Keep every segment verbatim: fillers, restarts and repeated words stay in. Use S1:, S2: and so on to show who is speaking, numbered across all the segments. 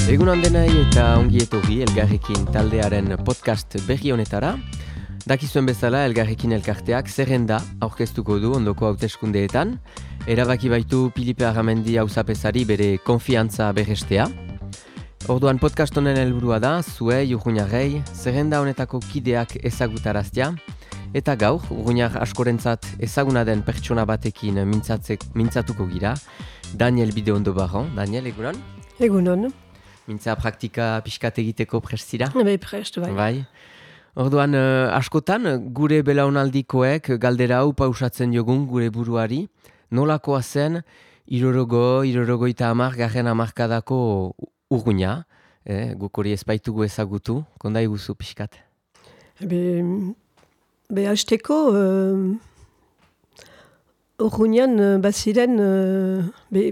S1: Egun handenai eta ongi etorri Elgarrekin taldearen podcast berri honetara. Dakizuen bezala Elgarrekin elkarteak zerrenda aurkeztuko du ondoko hauteskundeetan. Erabaki baitu Pilipe Arramendi auzapezari bere konfiantza berrestea. Orduan podcast honen helburua da, zuei urruñarrei, zerrenda honetako kideak ezagutaraztea, eta gaur, urruñar askorentzat ezaguna den pertsona batekin mintzatuko gira, Daniel Bideondo Barron. Daniel, egunon?
S2: Egunon.
S1: Mintza praktika pixkat egiteko prest zira?
S2: Bai, prest, bai.
S1: Bai. Orduan, uh, askotan, gure belaunaldikoek galdera hau pausatzen jogun gure buruari, nolakoa zen, irorogo, irorogoita hamar, garren hamarkadako urruña, eh, guk hori ezbaitugu ezagutu, konda iguzu pixkat?
S2: Be, be hasteko, uh, urruñan uh, baziren, uh, be,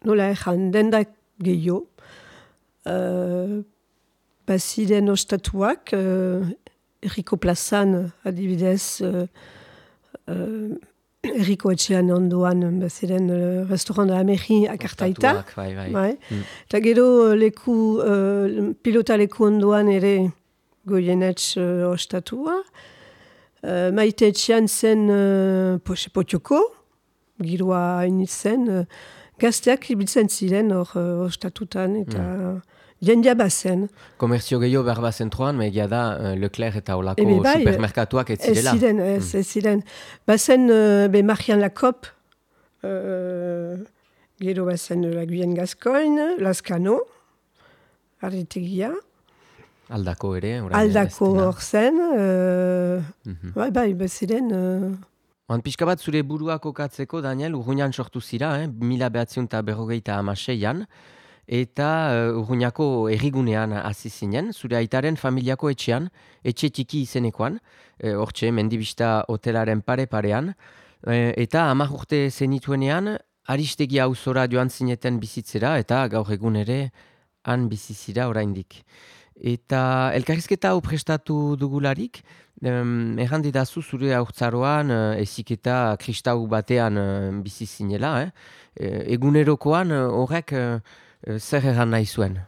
S2: nola erran, dendak gehiago, uh, baziren ostatuak, uh, erriko plazan, adibidez, uh, uh, erriko etxean ondoan, baziren uh, restaurant da Ameri akartaita.
S1: Ostatuak, bai, bai.
S2: Bai.
S1: Mm.
S2: Eta gero leku, uh, pilota leku ondoan ere goienetx uh, ostatua. Uh, maite etxean zen uh, potioko, giroa hainit zen, uh, gazteak ibiltzen ziren hor uh, ostatutan eta mm. jendia bazen.
S1: Komerzio gehiago behar bazen troan, megia da uh, Leclerc eta olako
S2: Ebe bai,
S1: supermerkatuak ez zirela.
S2: Ez ziren, ez,
S1: Mm.
S2: ez ziren. Bazen uh, be Marian Lacop, uh, gero bazen uh, Laguien Gascoigne, Lascano, Arritegia,
S1: Aldako ere. orain
S2: Aldako
S1: ez dira.
S2: hor zen, uh,
S1: Mhm.
S2: bai, bai, baziren... Uh,
S1: Oan pixka bat zure burua kokatzeko, Daniel, urruñan sortu zira, eh? mila behatziun eta berrogeita hamaseian, eta uh, urruñako errigunean hasi zinen, zure aitaren familiako etxean, etxe txiki izenekoan, eh, hortxe, mendibista hotelaren pare-parean, eh, eta hamar urte zenituenean, Aristegi auzora joan zineten bizitzera, eta gaur egun ere han bizizira oraindik. Eta elkarrizketa hau prestatu dugularik, um, erran didazu zure haurtzaroan uh, eziketa kristau batean uh, bizi zinela, eh? E, egunerokoan uh, horrek uh, uh, zer erran nahi zuen?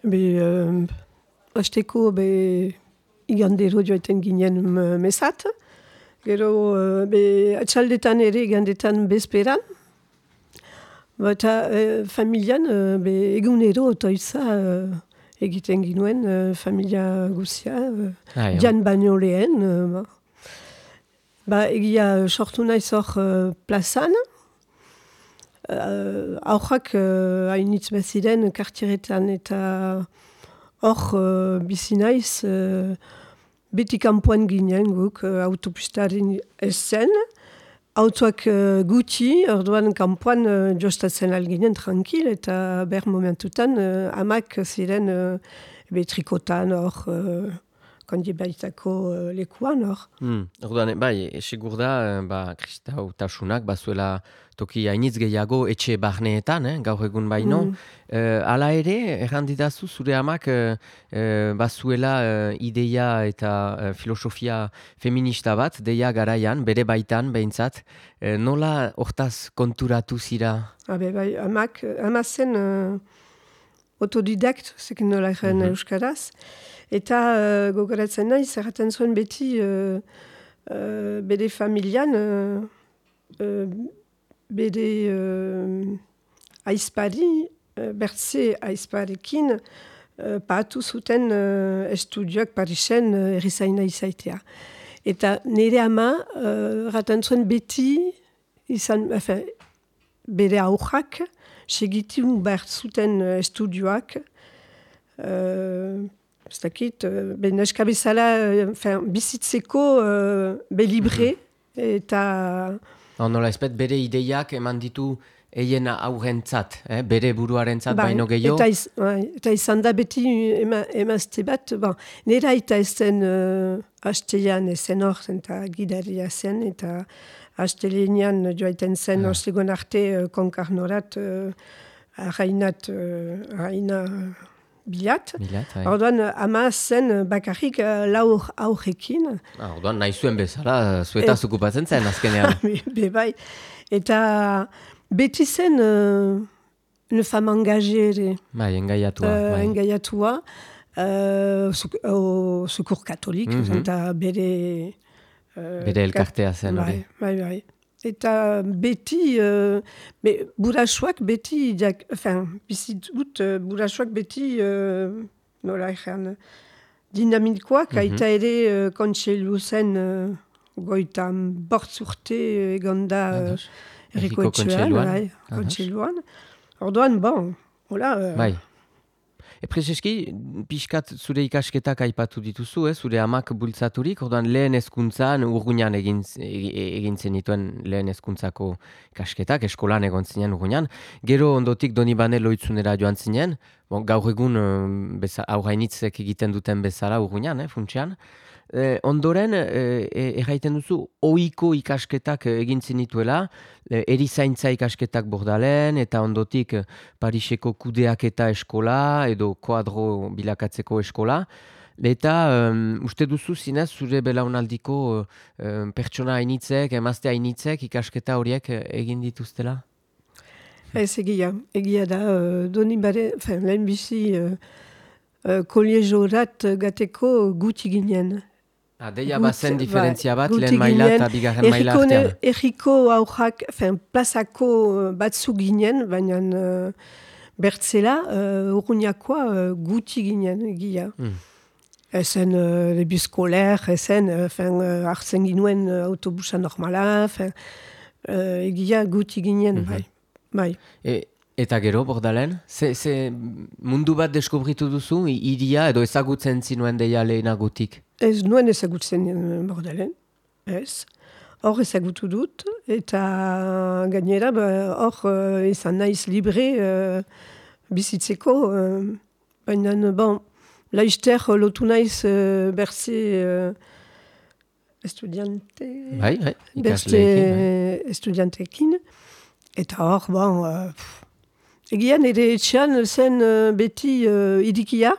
S2: be, uh, hasteko, be, igandero joaten ginen m- mesat. Gero, uh, be, atxaldetan ere igandetan bezperan. Eta uh, familian, uh, be, egunero otoiza uh, egiten ginuen uh, familia guzia, uh,
S1: Ah, ja.
S2: jan baino lehen. Uh, ba. ba, egia uh, sortu naiz hor uh, plazan. Uh, Aurrak uh, hainitz baziren kartieretan eta hor uh, bizi naiz uh, beti kanpoan ginen guk uh, autopistaren ez zen. Autoak uh, gutxi, orduan kanpoan uh, jostatzen alginen tranquil eta ber momentutan uh, amak ziren uh, be trikotan hor uh, kondi baitako uh, lekuan hor.
S1: Hmm. Orduan, bai, segur da, eh, ba, kristautasunak bazuela toki hainitz gehiago etxe barneetan, eh, gaur egun baino.
S2: Mm.
S1: Eh, hala ere, erran didazu, zure amak eh, eh, bazuela eh, ideia eta eh, filosofia feminista bat, deia garaian, bere baitan, behintzat. Eh, nola hortaz konturatu zira?
S2: Habe, bai, amak, ama zen uh, autodidakt, zekin nola egen
S1: Mhm.
S2: euskaraz, eta uh, gogoratzen nahi, zerraten zuen beti uh, uh, bere familian, uh, uh, bere uh, aizpari, uh, bertze aizparekin, uh, paatu zuten uh, estudioak Parisen uh, erizaina izaitea. Eta nire ama, uh, raten zuen beti, izan, enfin, bere aurrak, segitu behar zuten uh, estudioak, uh, ez dakit, uh, be neska bezala, uh, enfin, bizitzeko uh, be libre, eta...
S1: No, nola ezpet, bere ideiak eman ditu eien aurrentzat, eh? bere buruarentzat
S2: Bai,
S1: baino gehiago.
S2: Eta, iz, bai, eta izan da beti ema, emazte bat, bon, nera eta ezen uh, hastean ezen hor, eta gidaria zen, eta hastelenean joaiten zen,
S1: Ah.
S2: ostegon arte uh, konkarnorat, uh, arrainat, uh, arraina bilat.
S1: Bilat, bai.
S2: Orduan, ama zen bakarrik uh, laur aurrekin.
S1: Ah, orduan, nahi zuen bezala, zuetaz
S2: Et-
S1: okupatzen zen, azkenean.
S2: Be bai. Eta beti zen uh, une femme engagée ere.
S1: Bai, engaiatua.
S2: Uh,
S1: bai.
S2: Engaiatua. Uh, o Secours Katolik,
S1: Mhm.
S2: eta bere... Uh,
S1: Bere elkartea zen hori.
S2: Bai, bai, bai. Eta beti, uh, be, burasuak beti, diak, enfin, bizitut, uh, burasuak beti, uh, nola egan, dinamikoak,
S1: Mhm.
S2: aita ere uh, kontseilu zen uh, goitan bortz urte egon da uh,
S1: Ados.
S2: erriko
S1: Herriko
S2: etxean,
S1: kontseiluan.
S2: bai,
S1: Ados.
S2: kontseiluan. Orduan, bon, hola... Uh,
S1: Bai. E Prezeski, pixkat zure ikasketak aipatu dituzu, eh? Zure amak bultzaturik, orduan lehen hezkuntzan Urruñan egin, egin zenituen lehen hezkuntzako ikasketak, eskolan egon zinen Urruñan. Gero ondotik Donibane Loitzunera joan zinen, bon, gaur egun uh, aurrainitzek egiten duten bezala Urruñan, eh, funtsean. Eh, ondoren, eh, erraiten duzu, ohiko ikasketak egin zenituela, eh, erizaintza ikasketak Bordalen, eta ondotik eh, Pariseko kudeaketa eskola, edo koadro bilakatzeko eskola. Eta um, uste duzu zinez, zure belaunaldiko um, pertsona hainitzek, emazte hainitzek ikasketa horiek eh, egin dituztela?
S2: Ez egia, egia da, uh, Donibane, enfin, lehen bizi, uh, uh, koliejorat gateko guti ginen.
S1: Ah, deia
S2: Gut,
S1: bazen
S2: bai,
S1: diferentzia bat,
S2: guti
S1: lehen maila
S2: ginen.
S1: eta bigarren maila
S2: Erriko ne-
S1: artean.
S2: Erriko aurrak, enfin, plazako uh, batzu ginen, baina uh, bertzela, uh, Urruñakoa uh, guti ginen, egia.
S1: Mm.
S2: Ezen uh, lebi skolaire, ezen, uh, enfin, uh, hartzen ginuen uh, autobusa normala, enfin, uh, egia guti ginen,
S1: Mhm.
S2: bai. Bai.
S1: E, eta gero, Bordalen, ze, ze mundu bat deskubritu duzu, i- iria edo ezagutzen zinuen deia lehenagutik?
S2: Ez nuen ezagutzen uh, Bordalen, ez. Hor ezagutu dut, eta gainera, ba, hor uh, izan naiz libre uh, bizitzeko, uh, baina, bon, laizter lotu naiz uh, berze uh, estudiante...
S1: Bai, bai,
S2: Berze
S1: ikasleekin. Bai.
S2: estudianteekin, eta hor, bon, uh, pff, egian ere etxean zen uh, beti uh, idikia,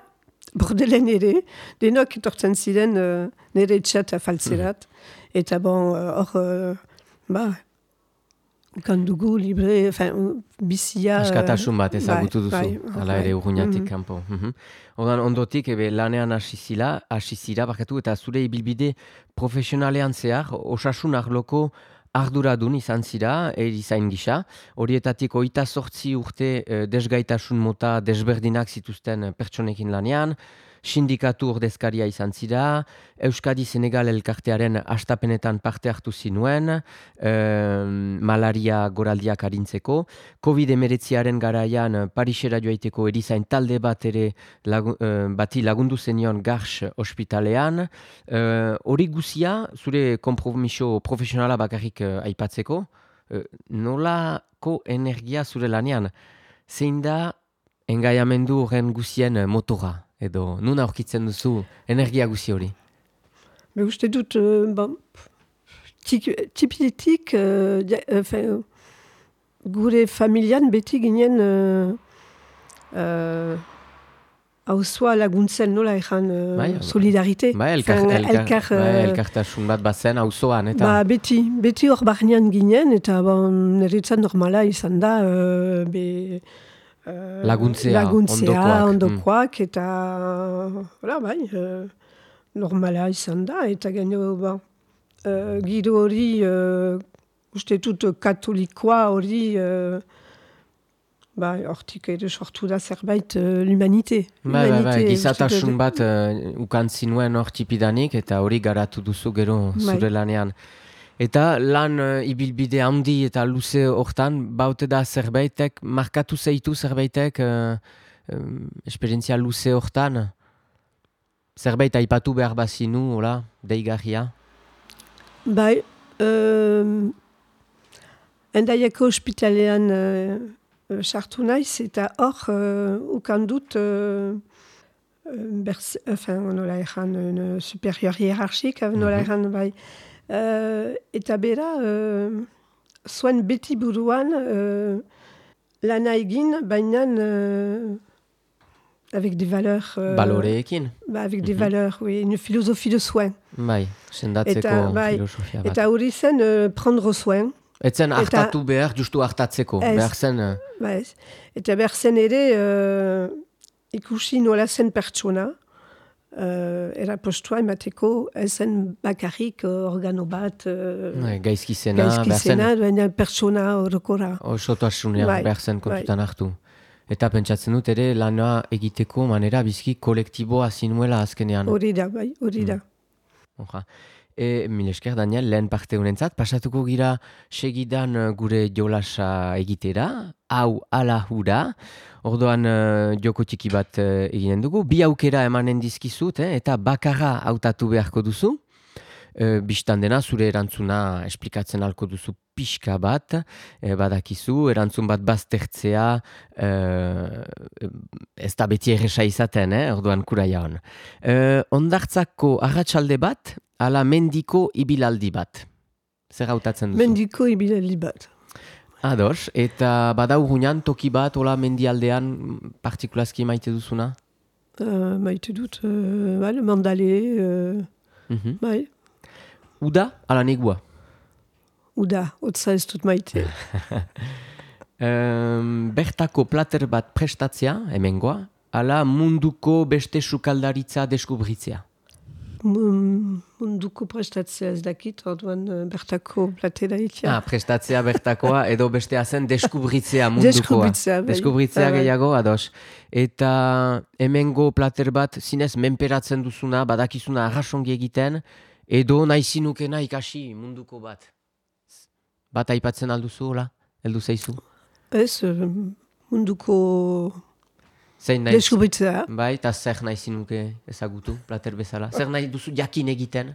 S2: Bordelen ere, denok etortzen ziren uh, nire etxeat afaltzerat, eta bon, uh, hor, uh, ba, kandugu libre, enfin, bizia...
S1: Askatasun bat ezagutu
S2: bai,
S1: duzu,
S2: bai,
S1: hala ere
S2: bai.
S1: Urruñatik
S2: Mhm.
S1: kanpo. Mhm. Ordan ondotik ebe lanean hasi zila, hasi zira, barkatu, eta zure ibilbide profesionalean zehar, osasun arloko arduradun izan zira, erizain gisa. Horietatik hogeita zortzi urte eh, desgaitasun mota desberdinak zituzten pertsonekin lanean, sindikatu ordezkaria izan zira, Euskadi-Senegal elkartearen astapenetan parte hartu zinuen, eh, malaria goraldiak arintzeko, covid emeretziaren garaian Parisera joaiteko erizain talde bat ere lagu, eh, bati lagundu zenion Garx ospitalean. Eh, Hori guzia, zure konpromiso profesionala bakarrik eh, aipatzeko, eh, nolako energia zure lanean? Zein da engaiamendu horren guzien eh, motora? Edo nun aurkitzen duzu energia guzi hori?
S2: Be uste dut, uh, bon, tik- tipiletik, uh, dia- enfin, gure familian beti ginen uh, uh, hausua laguntzen nola ejan uh,
S1: Bai,
S2: solidarite.
S1: Bai, elkar,
S2: Enfin,
S1: elkar,
S2: elkar,
S1: bai,
S2: uh,
S1: elkartasun bat bazen auzoan, eta...
S2: Ba, beti, beti hor barnean ginen, eta bon, niretzat normala izan da, uh, be, uh,
S1: Laguntzea,
S2: laguntzea,
S1: ondokoak,
S2: ondokoak, eta, hola, bai, uh, normala izan da, eta gaino, ba, uh, giro hori, uh, uste dut katolikoa hori, uh, ba, hortik ere sortu da zerbait uh, l'humanite.
S1: Bai, bai, bai,
S2: L'humanite,
S1: gizatasun
S2: uste dut-
S1: bat uh, ukan zinuen hor tipidanik, eta hori garatu duzu gero
S2: Bai.
S1: zure lanean. Eta lan uh, ibilbide handi eta luze hortan, baute da zerbaitek, markatu zeitu zerbaitek, uh, um, esperientzia luze hortan, zerbait aipatu behar bazinu, hola, deigarria.
S2: Bai, um, Endaiako ospitalean uh, uh, sartu naiz, eta hor uh, ukan dut, uh, berz, enfin, nola ejan, un superior hierarchik, nola
S1: Mhm.
S2: ejan, bai. Uh, eta bera, uh, zuen beti buruan, uh, lana egin, baina uh, avec des valeurs... euh,
S1: Baloreekin,
S2: Bah, avec des
S1: Mhm.
S2: valeurs, oui, une philosophie de soin.
S1: bai, sendatzeko
S2: Eta, bai,
S1: filosofia bat.
S2: Eta hori zen, uh, prendre soin.
S1: Etzen hartatu behar, justu hartatzeko,
S2: ez,
S1: behar zen...
S2: Ba ez. Eta behar zen ere uh, ikusi nola zen pertsona, uh, era postua emateko, ezen bakarrik uh, organo bat, uh,
S1: gaizkizena,
S2: gaizkizena, baina pertsona horokora.
S1: Osotasunea, bai, behar zen kontutan bai. Hartu. Eta pentsatzen dut ere lana egiteko manera bizki kolektiboa zinuela azkenean.
S2: Hori da, bai, hori da.
S1: Mm. E, mil esker, Daniel, lehen parte honentzat, pasatuko gira segidan gure jolasa egitera, hau ala hura, ordoan uh, joko txiki bat uh, eginen dugu, bi aukera emanen dizkizut, eh, eta bakarra hautatu beharko duzu, uh, bistan dena zure erantzuna esplikatzen halko duzu pixka bat, eh, badakizu, erantzun bat baztertzea, uh, ez da beti erresa izaten, eh, ordoan kuraia hon. Uh, ondartzako arratsalde bat, ala mendiko ibilaldi bat. Zer hautatzen duzu?
S2: Mendiko ibilaldi bat.
S1: Ados, eta badau gunean toki bat, ola mendialdean partikulazki maite duzuna?
S2: Uh, maite dut, uh, bai, mandale, uh, mm-hmm. bai.
S1: Uda, ala negua?
S2: Uda, otza ez dut maite.
S1: um, bertako plater bat prestatzea, hemengoa, ala munduko beste sukaldaritza deskubritzea?
S2: Munduko prestatzea ez dakit, orduan bertako platera itia.
S1: Ah, prestatzea bertakoa edo bestea zen deskubritzea mundukoa.
S2: Deskubritzea, bai.
S1: Deskubritzea gehiago, ados. Eta hemengo plater bat zinez menperatzen duzuna, badakizuna arrasongi egiten, edo nahi zinukena ikasi munduko bat. Bat aipatzen alduzu, hola? Heldu zeizu?
S2: Ez, munduko... Deskubritzea.
S1: Bai, eta zer nahi zinuke ezagutu, plater bezala? Zer nahi duzu jakin egiten?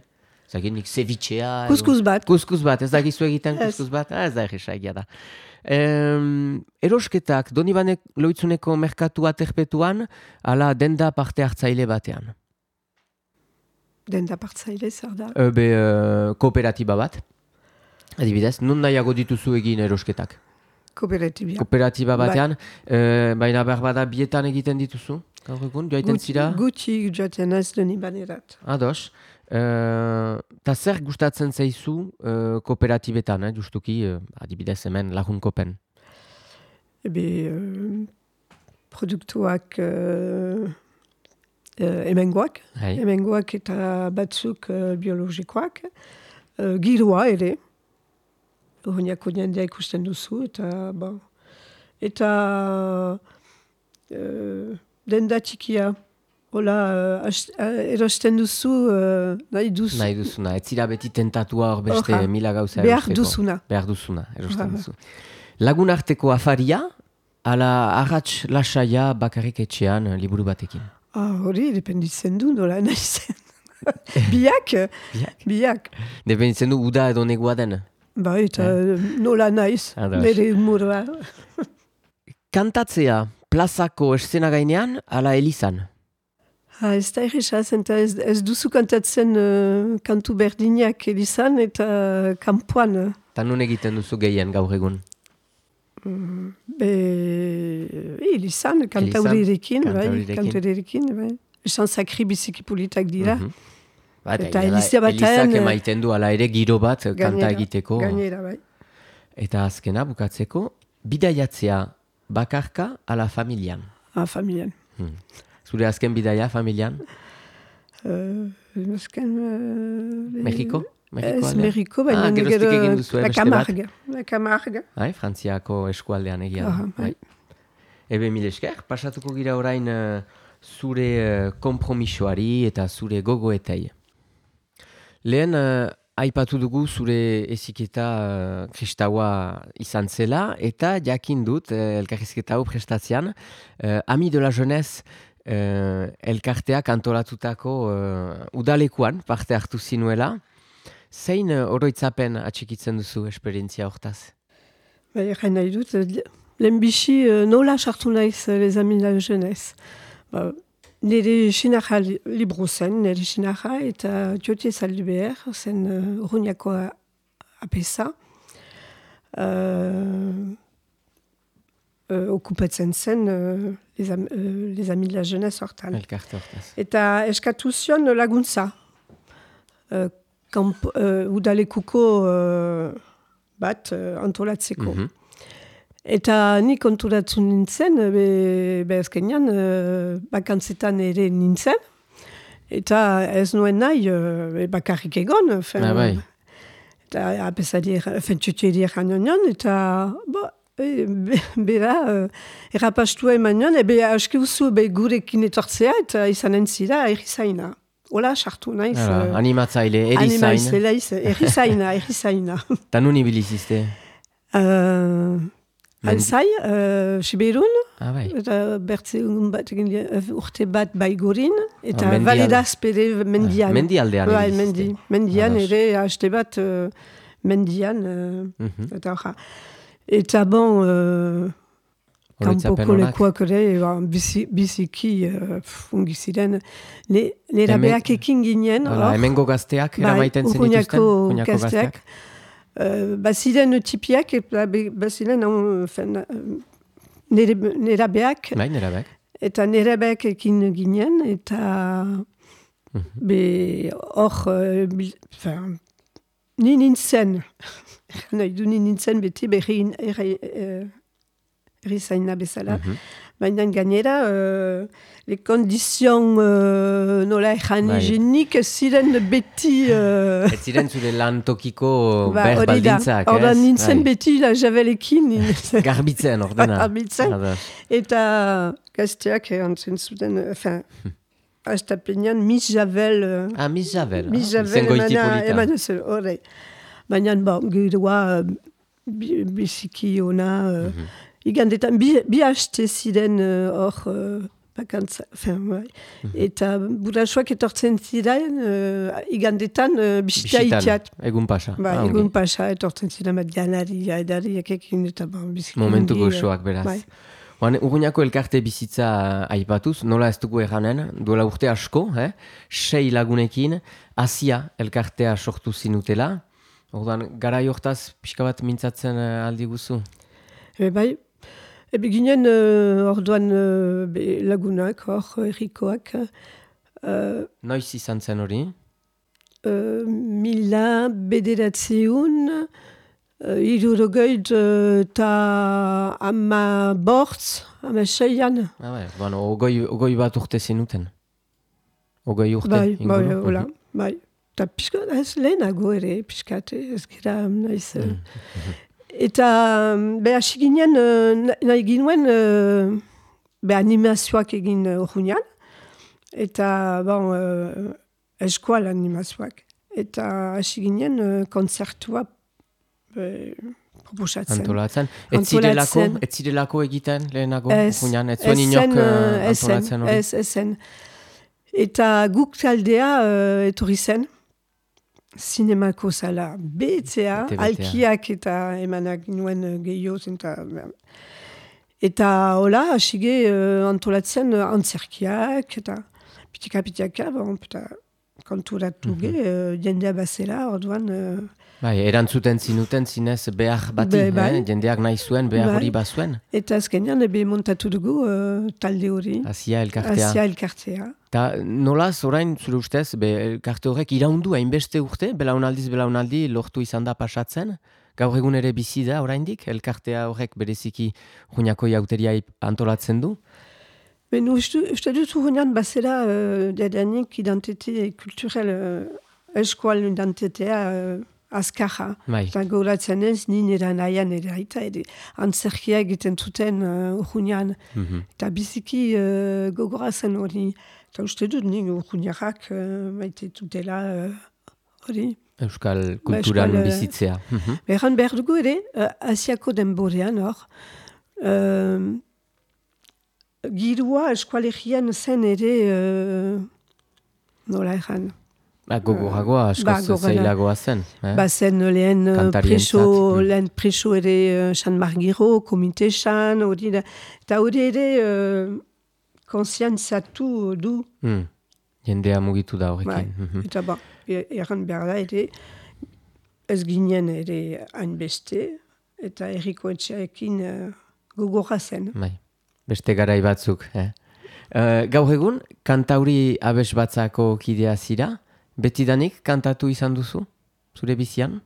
S1: Zagin nik cevichea...
S2: Kuskus bat.
S1: Kuskus bat, ez da gizu egiten kuskus bat? Ah, ez da egisa egia da. Um, erosketak, Donibane Loitzuneko merkatua terpetuan, ala denda parte hartzaile batean?
S2: Denda partzaile, zer da?
S1: E, be, uh, kooperatiba bat. Adibidez, nun nahiago dituzu egin erosketak?
S2: Kooperatiba.
S1: Kooperatiba batean, bai. e, baina behar bada bietan egiten dituzu? Gaur egun, joaiten zira?
S2: Gutxi joaten ez deni banerat.
S1: Ados. Eta zer gustatzen zaizu e, kooperatibetan, eh, justuki, e, adibidez hemen lagunkopen?
S2: Ebe, e, produktuak e, e, emengoak, hey. emengoak eta batzuk e, biologikoak, e, giroa ere, Urruñako jendea ikusten duzu, eta, ba, eta uh, denda txikia, hola, uh, erosten duzu, uh, nahi duzu.
S1: Nahi duzuna, ez zira beti tentatua hor beste Orra. Mila gauza
S2: behar
S1: erosteko.
S2: Duzuna.
S1: Behar duzuna. Erosten duzu. Lagun arteko afaria, ala arratx lasaia bakarrik etxean liburu batekin.
S2: Ah, hori, dependitzen du, nola nahi zen. Biak?
S1: Biak.
S2: Biak.
S1: Dependitzen du uda edo negua den.
S2: Ba, eta eh? nola naiz, bere humorua.
S1: Kantatzea plazako eszena gainean, ala elizan?
S2: Ha, ez da erresa, ez, ez duzu kantatzen uh, kantu berdinak elizan eta kanpoan.
S1: Eta nun egiten duzu gehien gaur egun?
S2: Mm, be, elizan, kantaurirekin, bai, kantaurirekin, bai. Esan sakri biziki politak dira. Mm-hmm.
S1: Ba, eta elizak emaiten du ala ere giro bat gainera, kanta egiteko.
S2: Gainera, bai.
S1: Eta azkena bukatzeko, bidaiatzea bakarka ala familian?
S2: Ah, familian.
S1: Hmm. Zure azken bidaia familian?
S2: Uh, azken... Uh,
S1: Mexiko?
S2: Mexiko ez Mexiko, baina
S1: ah,
S2: negero
S1: la
S2: Camargue. La Camargue.
S1: Hai, Frantziako eskualdean egia.
S2: Ah, bai.
S1: Ebe mil esker, pasatuko gira orain uh, zure uh, kompromisoari eta zure gogoetei. Lehen, uh, aipatu dugu zure eziketa uh, kristaua izan zela, eta jakin dut, uh, elkarrizketa hau prestatzean, uh, Ami de la Jeunesse uh, elkarteak antolatutako uh, udalekuan parte hartu zinuela. Zein uh, oroitzapen atxikitzen duzu esperientzia hortaz?
S2: Ba, egin nahi dut, lehen bizi uh, nola sartu naiz les Amis de la Jeunesse. Ba, nire sinarra libro zen, nire sinarra, eta Tiotie Zalduber, zen uh, Urruñako apesa. Uh, uh, okupatzen zen uh, les, am, uh, les Amis de la Jeunesse hortan.
S1: Elkarte hortaz.
S2: Eta eskatu zion laguntza. Uh, kamp, uh, udalekuko uh, bat uh, antolatzeko.
S1: Mhm.
S2: Eta nik konturatzen nintzen, be, be azkenean, uh, bakantzetan ere nintzen, eta ez nuen nahi uh, bakarrik egon. Fen,
S1: Ah, bai.
S2: Eta apesari, fentxutxeri eran nion, eta bo, e, be, bera, uh, errapastua eman nion, ebe aski uzu be gurekin etortzea, eta izanen zira erizaina. Hola, sartu naiz.
S1: Ara,
S2: uh,
S1: animatzaile, erizain.
S2: Animatzaile, erizaina, erizaina.
S1: Ta nun ibilizizte?
S2: Uh, Alzai, uh, Siberun,
S1: Ah, bai.
S2: eta bertzeun bat egin uh, urte bat baigorin, eta
S1: Ah, mendial-
S2: validaz pere mendian.
S1: Ah, mendialdean
S2: Bai,
S1: ibilizte.
S2: mendi, mendian
S1: Ados.
S2: ere haste bat uh, mendian, uh,
S1: Mhm.
S2: eta hoja. Eta bon, uh,
S1: Oroitzapen
S2: kanpoko
S1: onak?
S2: lekuak ere, ba, bizi, biziki uh, fungi ziren. Ne, nera
S1: Hemen-
S2: beak ekin ginen,
S1: Hala,
S2: hor,
S1: hemengo gazteak
S2: bai,
S1: eramaiten zen dituzten?
S2: Urruñako
S1: Urruñako
S2: gazteak. Uh, baziren tipiak, eta be- baziren um, fen, uh, nere, nera beak,
S1: Bai, nera bek.
S2: eta nera beak ekin ginen, eta
S1: Mhm.
S2: be hor, uh, bil- fen, ni nintzen, nahi du ni nintzen beti berri erizaina bezala,
S1: Mhm.
S2: baina gainera, uh, le kondizion uh, nola ejan
S1: Bai.
S2: higienik ziren beti... Uh,
S1: Ez ziren zure lan tokiko
S2: Ba,
S1: ber
S2: hori da.
S1: baldintzak, ez?
S2: Ordan nintzen
S1: Bai.
S2: beti la javelekin.
S1: Garbitzen, ordena.
S2: Garbitzen.
S1: Ados.
S2: Eta gazteak erantzen zuten, enfin, astapenean mis javel, uh,
S1: Ah, Miss Javel.
S2: mis
S1: ah,
S2: javel
S1: izen goiti
S2: emana,
S1: polita.
S2: emana zen, horre. Baina, bon, giroa uh, bi- biziki ona, uh,
S1: Mhm.
S2: igandetan, bi, bi haste ziren uh, hor, uh, bakantza, enfin, bai.
S1: Mhm.
S2: Eta burasoak etortzen ziren, uh, igandetan uh, bisita
S1: Bisitan,
S2: itiat.
S1: egun pasa.
S2: Ba,
S1: Ah, ongi.
S2: egun pasa, etortzen ziren bat janari, edariak ekin, eta bon, biziki.
S1: Momentu
S2: ongi,
S1: goxoak, beraz.
S2: Bai.
S1: Oan, Urruñako elkarte bizitza aipatuz, nola ez dugu erranen, duela urte asko, eh? sei lagunekin, Asia elkartea sortu zinutela. Orduan, garai hortaz pixka bat mintzatzen eh, aldi guzu.
S2: E, bai, ebe ginen uh, orduan uh, be, lagunak, hor, errikoak, uh,
S1: Noiz izan zen hori?
S2: uh, mila bederatzeun, uh, irurogeid eta ama bortz, ama seian.
S1: Ah, bai, bueno, ogoi, ogoi bat urte zinuten. Ogoi urte,
S2: Bai, bai,
S1: inguru?
S2: hola,
S1: Mhm.
S2: bai. Eta pixka, ez lehenago ere, pixkat, ez gira naiz.
S1: Mm.
S2: uh, Eta, um, be, hasi ginen, uh, na- nahi ginuen, uh, be, animazioak egin uh, urruñan. Eta, bon, uh, eskual animazioak. Eta hasi ginen, uh, konzertua be, proposatzen.
S1: Antolatzen. Ez zirelako,
S2: Antolatzen.
S1: ez zirelako egiten lehenago,
S2: Ez,
S1: Urruñan, ez zuen
S2: ez
S1: inok
S2: zen,
S1: eh,
S2: uh, ez zen,
S1: antolatzen hori?
S2: ez, ez zen. Eta guk taldea uh, etorri zen, zinemako zala betzea,
S1: Bete betea.
S2: alkiak eta emanak nuen uh, gehiago zen. Eta, eta hola, hasige uh, antolatzen uh, antzerkiak, eta pitika-pitaka, bon, eta konturatu ge, uh, jendea bazela, orduan... Uh,
S1: Bai, erantzuten zinuten zinez behar bati,
S2: Be- bai.
S1: eh? jendeak nahi zuen, behar
S2: Bai.
S1: hori bazuen.
S2: eta azkenean, ebe montatu dugu uh, talde hori,
S1: Asia elkartea.
S2: Asia elkartea.
S1: Ta nolaz, orain, zure ustez, be, elkarte horrek iraundu hainbeste urte, belaunaldiz belaunaldi lortu izan da pasatzen, gaur egun ere bizi da oraindik, elkartea horrek bereziki Urruñako jauteria antolatzen du.
S2: Ben, uste, uste dut urruñan bazera uh, dadanik identite kulturel, uh, eskual identitea uh, azkarra.
S1: Bai,
S2: Eta gauratzen ez, ni nera nahian ere aita, ere antzerkia egiten zuten uh, urruñan.
S1: mhm.
S2: Eta biziki uh, gogorazen hori. Eta uste dut, ni urruñarrak uh, maite tutela uh, hori.
S1: Euskal kulturan
S2: Euskal, eh,
S1: bizitzea. Mhm.
S2: Beran behar dugu ere, uh, asiako denborean hor, uh, girua eskualegian zen ere, uh, nola erran,
S1: Ba, gogoragoa, askoz
S2: ba, gogora.
S1: zailagoa zen. Eh?
S2: bazen lehen uh,
S1: Kantarientzat,
S2: preso,
S1: mm.
S2: lehen preso ere uh, San Margiro, komite San, hori da, eta hori ere uh, konsiantzatu du,
S1: Mm. Jendea mugitu da
S2: bai,
S1: horrekin. Mhm.
S2: eta ba, e- erran behar da ere, ez ginen ere hainbeste, eta erriko etxearekin uh, gogorra zen.
S1: Bai, beste garai batzuk. Eh? Uh, gaur egun, kantauri abes batzako kidea zira, betidanik kantatu izan duzu, zure bizian?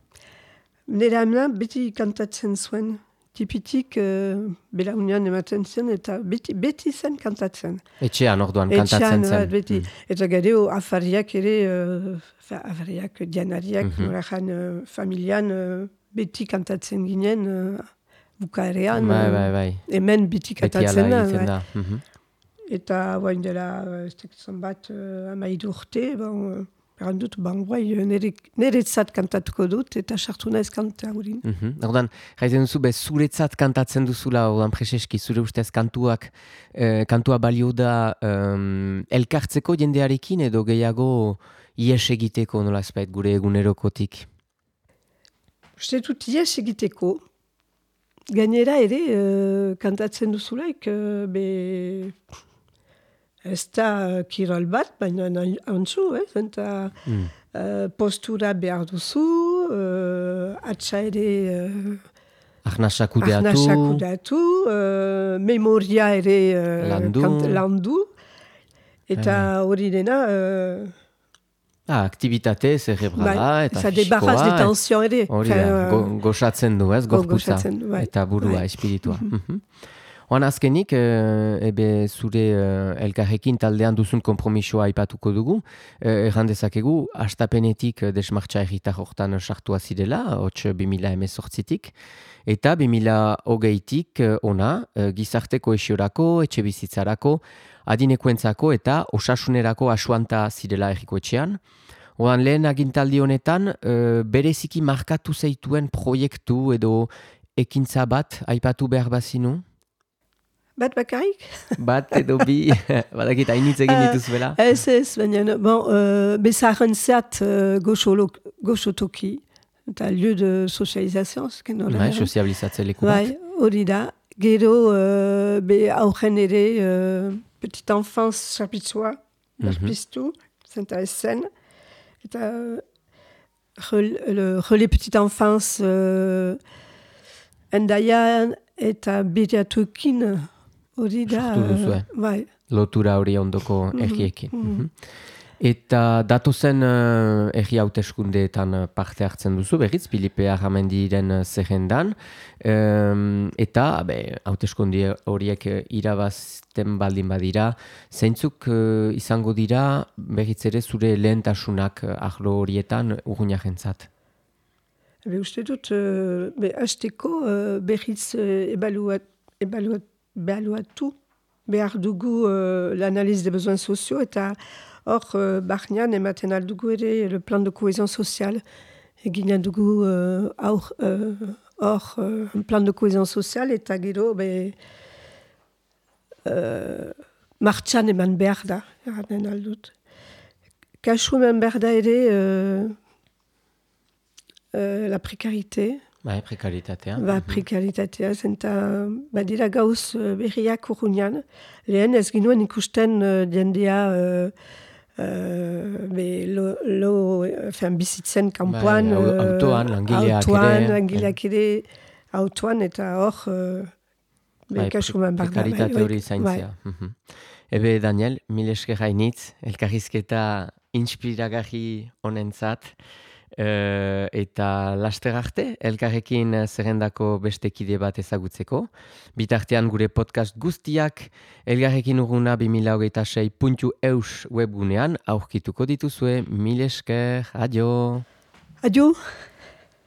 S2: nire amna beti kantatzen zuen. Tipitik, uh, belaunian ematen zen, eta beti, beti zen kantatzen.
S1: Etxean orduan kantatzen zen.
S2: Etxean, beti. Mm. Eta gero, afariak ere, uh, afariak dianariak, mm-hmm. norajan, uh, familian, uh, beti kantatzen ginen, uh, bukaerean.
S1: Bai, bai, bai.
S2: Hemen beti kantatzen da.
S1: Beti ala da. Mm-hmm.
S2: Eta, bain dela, ez tekitzen bat, uh, amaidu urte, bon, uh, Eran dut, ban, guai, niretzat kantatuko dut, eta sartu naiz kanta gurin.
S1: Mm-hmm. Ordan, jaiten duzu, be, zuretzat kantatzen duzula, ordan, preseski, zure ustez kantuak, eh, kantua balio da um, elkartzeko jendearekin, edo gehiago ies egiteko, nola ezbait, gure egunerokotik?
S2: Uste dut ies egiteko. Gainera ere, uh, kantatzen duzulaik, uh, be... Ez da kirol bat, baina antzu, eh? Eta mm. uh, postura behar duzu, uh, atxa ere... Uh,
S1: Arnasakudeatu.
S2: Arnasakudeatu, uh, memoria ere uh,
S1: landu.
S2: Kant, landu. Eta hori uh. dena... Uh,
S1: ah, aktivitate zerebrala
S2: bai,
S1: eta
S2: fisikoa. Eta debarraz de tension ere.
S1: Hori da, go, goxatzen du, ez, gorputza.
S2: Bai.
S1: Eta burua, bai. Espiritua. Mm-hmm. Oan azkenik, e, ebe zure uh, elkarrekin taldean duzun kompromisoa aipatuko dugu. E, erran dezakegu, hastapenetik desmartxa erritar hortan sartua zirela, hots bi mila hemezortzitik, eta bi mila hogeitik ona, gizarte kohesiorako, etxe bizitzarako, adinekoentzako eta osasunerako asuanta zirela erriko etxean. Oan lehen agintaldi honetan, e, bereziki markatu zeituen proiektu edo ekintza bat aipatu behar bazinu?
S2: Bat bakarik?
S1: Bat edo bi, badakit hainitz egin dituzuela.
S2: Uh, ez ez, baina, bon, uh, bezaren zat uh, goxotoki, eta lieu de socializazio,
S1: bai, sozializatze leku bat.
S2: Bai, hori da. Gero, uh, be aurren ere, uh, petit enfance chapitzua, berpiztu, mm-hmm. zenta ez zen. Eta, uh, relais petit enfance, uh, endaian, eta beriatukin, hori da,
S1: uh,
S2: bai.
S1: Lotura hori ondoko mm-hmm. erriekin. Mm-hmm. Eta datozen uh, erri hauteskundeetan parte hartzen duzu, berriz, Filipe Arramendiren zerrendan. Um, eta, be, hauteskunde horiek irabazten baldin badira, zeintzuk uh, izango dira, berriz ere zure lehentasunak uh, arlo horietan urruñarentzat?
S2: Be, uste dut, uh, be, hasteko uh, berriz uh, ebaluat, ebaluat, ebaluatu behar dugu uh, l'analyse des besoins sociaux eta hor uh, barnean ematen aldugu ere le plan de cohésion sociale. Egin dugu uh, hor uh, uh, plan de cohésion sociale eta gero be, uh, martxan eman behar da, eranen aldut. Kasu eman behar da ere uh, uh, la prekarite.
S1: Bai, prekaritatea.
S2: Ba, prekaritatea, zenta badira gauz uh, berriak urruñan. Lehen ez ginuen ikusten uh, jendea uh, uh, be, lo, lo, fean bizitzen kampuan.
S1: Bai, uh, autoan, langileak
S2: autoan,
S1: ere.
S2: Langileak ere, autoan, eta hor, uh,
S1: bai,
S2: kasuman barda.
S1: Prekaritate hori zaintzea. Bai. Mm-hmm. Ebe, Daniel, mil esker hainitz, elkarrizketa inspiragarri honentzat. Uh, eta laster arte, elkarrekin zerrendako beste kide bat ezagutzeko. Bitartean gure podcast guztiak elkarrekin urruna bi mila hogeita sei puntu eus webgunean aurkituko dituzue. Mil esker, adio!
S2: Adio!